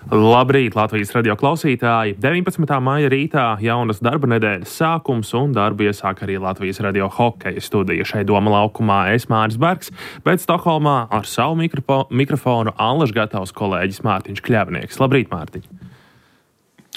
Labrīt, Latvijas radio klausītāji! 19. maija rītā jaunas darba nedēļas sākums un darbu iesāk arī Latvijas radio hokeja studija. Šai Doma laukumā es Māris Bergs, bet Stokholmā ar savu mikrofonu allaž gatavs kolēģis Mārtiņš Kļavnieks. Labrīt, Mārtiņ!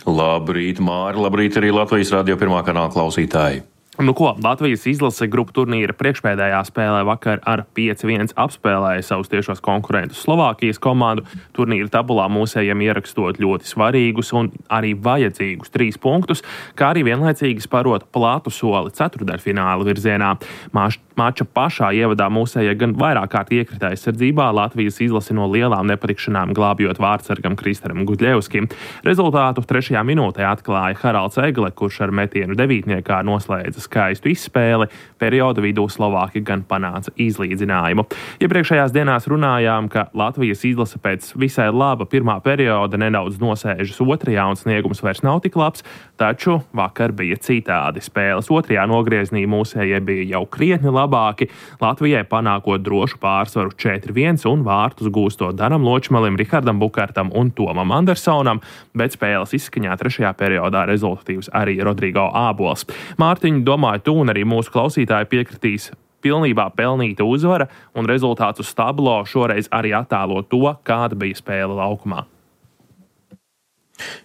Labrīt, Māri! Labrīt arī Latvijas radio pirmā kanāla klausītāji! Nu ko, Latvijas izlase grupu turnīra priekšpēdējā spēlē vakar ar 5-1 apspēlēja savus tiešos konkurentus Slovākijas komandu. Turnīra tabulā mūsējiem ierakstot ļoti svarīgus un arī vajadzīgus 3 punktus, kā arī vienlaicīgi sparot platu soli ceturtdaļfināla virzienā. Mača pašā ievadā mūsējie gan vairāk kārt iekrita aizsardzībā, Latvijas izlase no lielām nepatikšanām glābjot vārdsargam Kristaram Gudļevskim. Rezultātu 3. minūtē atklāja Haralds Egle, kurš ar metienu devītniekā noslēdza skaistu izspēli. Perioda vidū Slovāki gan panāca izlīdzinājumu. Iepriekšējās dienās runājām, ka Latvijas izlase pēc visai laba pirmā perioda nedaudz nosēžas otrajā un sniegums vairs nav tik labs, taču vakar bija citādi. Spēles otrajā nogrieznī mūsējie bija jau krietni labāki, Latvijai panākot drošu pārsvaru 4-1 un vārtus gūstot Danam Ločmalim, Rihardam Bukartam un Tomam Andersonam, bet spēles izskaņā 3. periodā rezultatīvs arī Rodrigo Ābols. Mārtiņ, domāju, tu un arī mūsu klausītāji piekritīs, pilnībā pelnīta uzvara un rezultāts uz tablo šoreiz arī attēlo to, kāda bija spēle laukumā.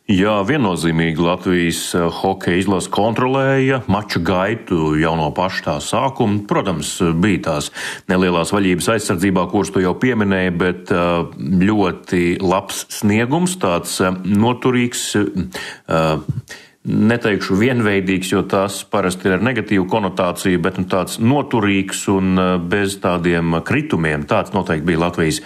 Jā, viennozīmīgi Latvijas hokeja izlase kontrolēja mača gaitu jau no paša tā sākuma. Protams, bija tās nelielās vaļības aizsardzībā, kuras tu jau pieminēji, bet ļoti labs sniegums, tāds noturīgs, neteikšu vienveidīgs, jo tas parasti ir ar negatīvu konotāciju, bet tāds noturīgs un bez tādiem kritumiem. Tāds noteikti bija Latvijas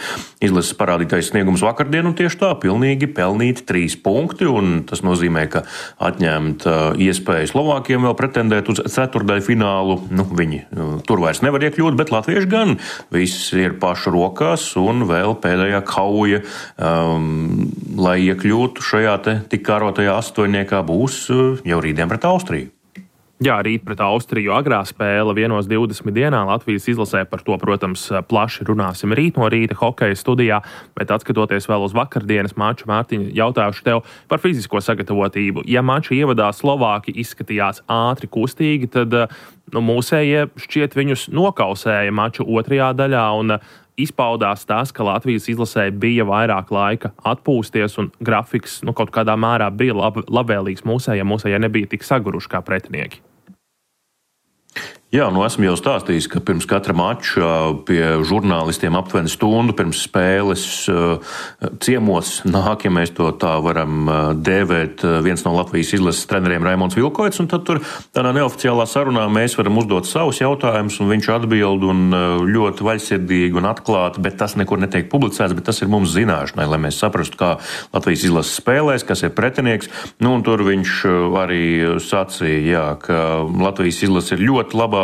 izlases parādītais sniegums vakardien, un tieši tā pilnīgi pelnīti 3 punkti, un tas nozīmē, ka atņemt iespēju Slovākiem vēl pretendēt uz ceturtdaļu finālu. Viņi tur vairs nevar iekļūt, bet latvieši gan viss ir pašu rokās, un vēl pēdējā kauja, lai iekļūtu šajā tik kārotajā astoņniekā būs jau rītdien pret Austriju. Jā, rīt pret Austriju agrā spēle 1:20 dienā. Latvijas izlasē par to, protams, plaši runāsim rīt no rīta hokeja studijā, bet atskatoties vēl uz vakardienas maču, Mārtiņa, jautāšu tev par fizisko sagatavotību. Ja maču ievadā Slovāki izskatījās ātri kustīgi, tad mūsējie šķiet viņus nokausēja maču otrajā daļā un izpaudās tas, ka Latvijas izlasē bija vairāk laika atpūsties un grafiks kaut kādā mērā bija labvēlīgs mūsējiem. Mūsējie nebija tik saguruši kā pretinieki. Jā, esmu jau stāstījis, ka pirms katra mača pie žurnālistiem aptuveni stundu pirms spēles ciemos nāk, ja mēs to tā varam dēvēt, viens no Latvijas izlases treneriem Raimonds Vilkoits, un tad tur tādā neoficiālā sarunā mēs varam uzdot savus jautājumus, un viņš atbild un ļoti vaļsirdīgi un atklāti, bet tas nekur netiek publicēts, bet tas ir mums zināšanai, lai mēs saprastu, kā Latvijas izlases spēlēs, kas ir pretinieks. Un tur viņš arī sacīja, ka Latvijas izlase ir ļoti labā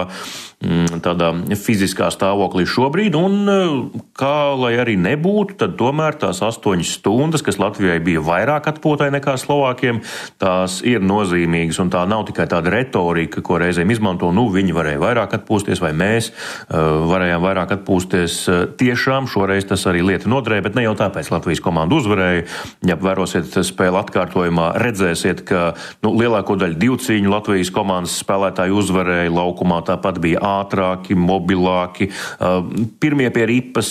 tādā fiziskā stāvoklī šobrīd, un kā lai arī nebūtu, tad tomēr tās 8 stundas, kas Latvijai bija vairāk atpūtai nekā Slovākiem, tās ir nozīmīgas, un tā nav tikai tāda retorika, ko reizēm izmanto, viņi varēja vairāk atpūsties, vai mēs varējām vairāk atpūsties. Tiešām šoreiz tas arī lieta noderēja, bet ne jau tāpēc Latvijas komanda uzvarēja. Ja vērosiet spēli atkārtojumā, redzēsiet, ka lielāko daļu divcīņu Latvijas komandas spēlētāji uzvarēja laukumā, tāpat bija ātrāki, mobilāki. Pirmie pie ripas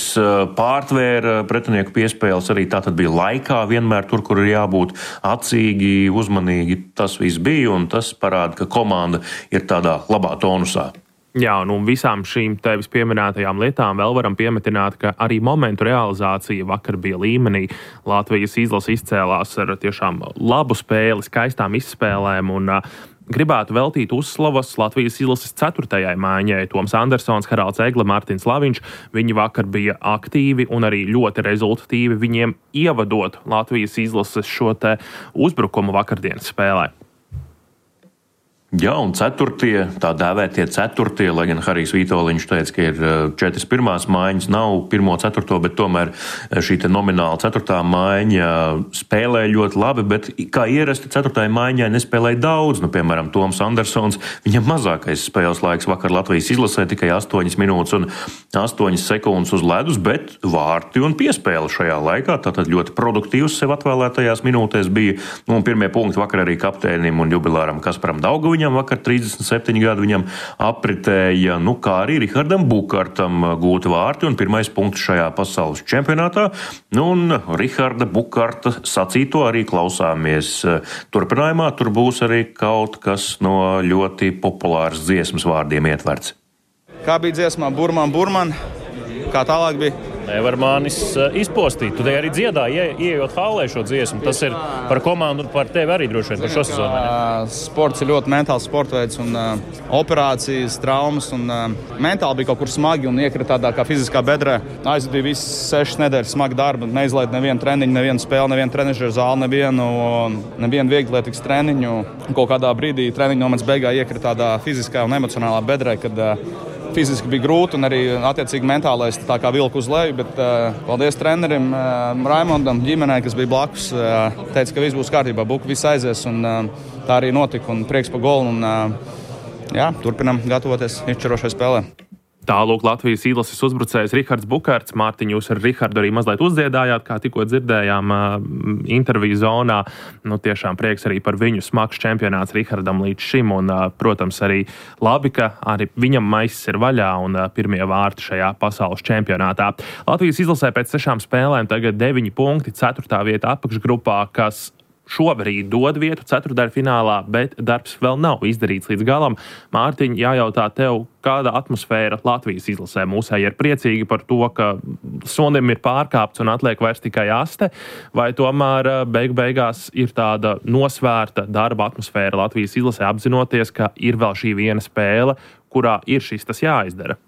pārtvēra pretinieku piespēles, arī tā tad bija laikā vienmēr tur, kur ir jābūt acīgi, uzmanīgi. Tas viss bija, un tas parāda, ka komanda ir tādā labā tonusā. Jā, un visām šīm tevis pieminētajām lietām vēl varam piemetināt, ka arī momentu realizācija vakar bija līmenī. Latvijas izlase izcēlās ar tiešām labu spēli, skaistām izspēlēm, un gribētu veltīt uzslavas Latvijas izlases 4. maiņai. Toms Andersons, Haralds Egle, Mārtiņš Laviņš. Viņi vakar bija aktīvi un arī ļoti rezultatīvi, viņiem ievadot Latvijas izlases šo te uzbrukumu vakardienas spēlē. Jā, un ceturtie, tā dēvētie ceturtie, lai gan Harijs Vitoļņš teica, ka ir 4 pirmās maiņas, nav 1. ceturto, bet tomēr šī te nomināla 4. maiņa spēlē ļoti labi, bet kā ierasti 4. maiņai nespēlēja daudz. Nu, piemēram, Toms Andersons, viņam mazākais spēles laiks vakar Latvijas izlasē tikai 8 minūtes un 8 sekundes uz ledus, bet vārti un piespēle šajā laikā, tātad ļoti produktīvs sev atvēlētajās minūtēs bija. Nu, un pirmie punkti vakar arī kapteinim un jubilāram Kasparam Daugaviņam. Viņam vakar 37 gadu viņam apritēja, nu kā arī Rihardam Bukartam gūti vārti un pirmais punkts šajā pasaules čempionātā. Nu un Riharda Bukarta sacīto arī klausāmies turpinājumā. Tur būs arī kaut kas no ļoti populāras dziesmas vārdiem ietverts. Kā bija dziesmā Burman, kā tālāk bija? Nevar manis izpostīt. Tu te arī dziedāji, ieejot hallē šo dziesmu. Tas ir par komandu un par tevi arī droši vien par šo sezonu. Sports ir ļoti mentāls sportveids un operācijas, traumas. Un, mentāli bija kaut kur smagi un iekrita tādā kā fiziskā bedrē. Aizvadīja visas 6 nedēļas smaga darba. Neizlaid nevienu treniņu, nevienu spēli, nevienu trenižeru zāli, nevienu vieglietīgas treniņu. Kaut kādā brīdī treniņu nomets beigā iekrita tādā fiziskā un emocionālā bedrē, kad fiziski bija grūti un arī attiecīgi mentālais tā kā vilka uz leju, bet paldies trenerim Raimondam, ģimenei, kas bija blakus, teica, ka viss būs kārtībā, buka viss aizies un tā arī notika un prieks pa golu un jā, turpinam gatavoties izšķirošai spēlē. Tālūk Latvijas izlases uzbrucējs Rihards Bukarts. Mārtiņ, jūs ar Rihardu arī mazliet uzdziedājāt, kā tikko dzirdējām interviju zonā. Nu, tiešām prieks arī par viņu smags čempionāts Rihardam līdz šim. Un, protams, arī labi, ka arī viņam maisis ir vaļā un pirmie vārti šajā pasaules čempionātā. Latvijas izlasē pēc 6 spēlēm tagad 9 punkti, 4. vieta apakšgrupā, kas šobrīd dod vietu ceturtdaļfinālā, bet darbs vēl nav izdarīts līdz galam. Mārtiņ, jājautā tev, kāda atmosfēra Latvijas izlasē? Mūsēji ir priecīgi par to, ka sonim ir pārkāpts un atliek vairs tikai aste, vai tomēr beigās ir tāda nosvērta darba atmosfēra Latvijas izlasē, apzinoties, ka ir vēl šī viena spēle, kurā ir šis tas jāizdara?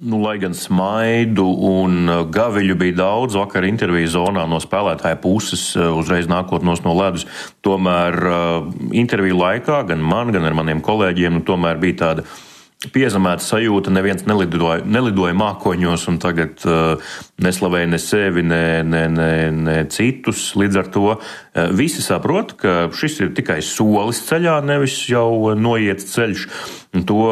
Nu, lai gan smaidu un gaviļu bija daudz vakar interviju zonā no spēlētāja puses, uzreiz nākot no ledus, tomēr interviju laikā gan man, gan ar maniem kolēģiem, tomēr bija tāda piezemēta sajūta, neviens nelidoja mākoņos un tagad neslavēja ne sevi, ne citus. Līdz ar to visi saprot, ka šis ir tikai solis ceļā, nevis jau noiets ceļš. To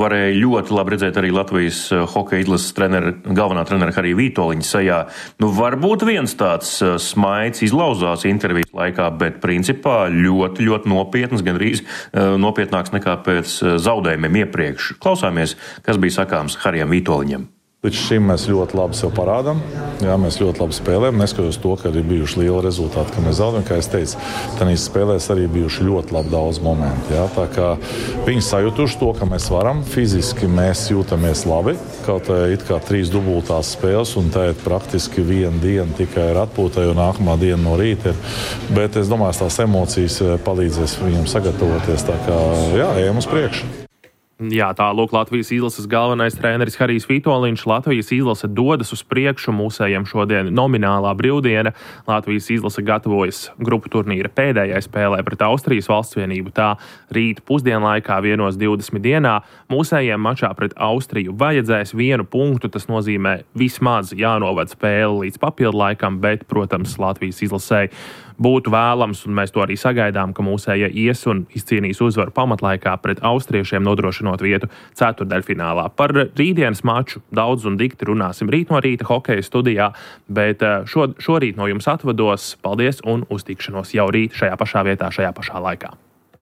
varēja ļoti labi redzēt arī Latvijas hokeja izlases galvenā trenera Harija Vitoļņa sejā. Nu, varbūt viens tāds smaids izlauzās intervijas laikā, bet principā ļoti, ļoti nopietnas, gandrīz nopietnāks nekā pēc zaudējumiem iepriekš. Klausāmies, kas bija sakāms Harijam Vitoļņam. Līdz šim mēs ļoti labi sev parādām. Jā, mēs ļoti labi spēlējam. Neskatoties to, ka ir bijuši lieli rezultāti, ka mēs zaudējam. Kā es teicu, tajās spēlēs arī bijuši ļoti labi daudz momentu. Jā. Tā kā viņi sajutuši to, ka mēs varam. Fiziski mēs jūtamies labi. Kaut it kā 3 dubultās spēles, un tā ir praktiski 1 diena tikai ir atpūtai, un nākamā diena no rīta ir. Bet es domāju, tās emocijas palīdzēs viņam sagatavoties. Tā kā jā, ejam uz priekšu. Jā, tālūk Latvijas izlases galvenais treneris Harijs Vitoļņš. Latvijas izlase dodas uz priekšu, mūsējiem šodien nominālā brīvdiena. Latvijas izlase gatavojas grupu turnīra pēdējai spēlē pret Austrijas valstsvienību. Tā rīt pusdienlaikā 1:20 dienā. Mūsējiem mačā pret Austriju vajadzēs 1 punktu. Tas nozīmē vismaz jānovad spēle līdz papildu laikam, bet, protams, Latvijas izlasē būtu vēlams, un mēs to arī sagaidām, ka mūsējie ies un izcīnīs uzvaru pamatlaikā pret austriešiem, nodrošinot vietu ceturtdaļfinālā. Par rītdienas maču daudz un dikti runāsim rīt no rīta hokeja studijā, bet šorīt no jums atvados. Paldies un uz tikšanos jau rīt šajā pašā vietā, šajā pašā laikā.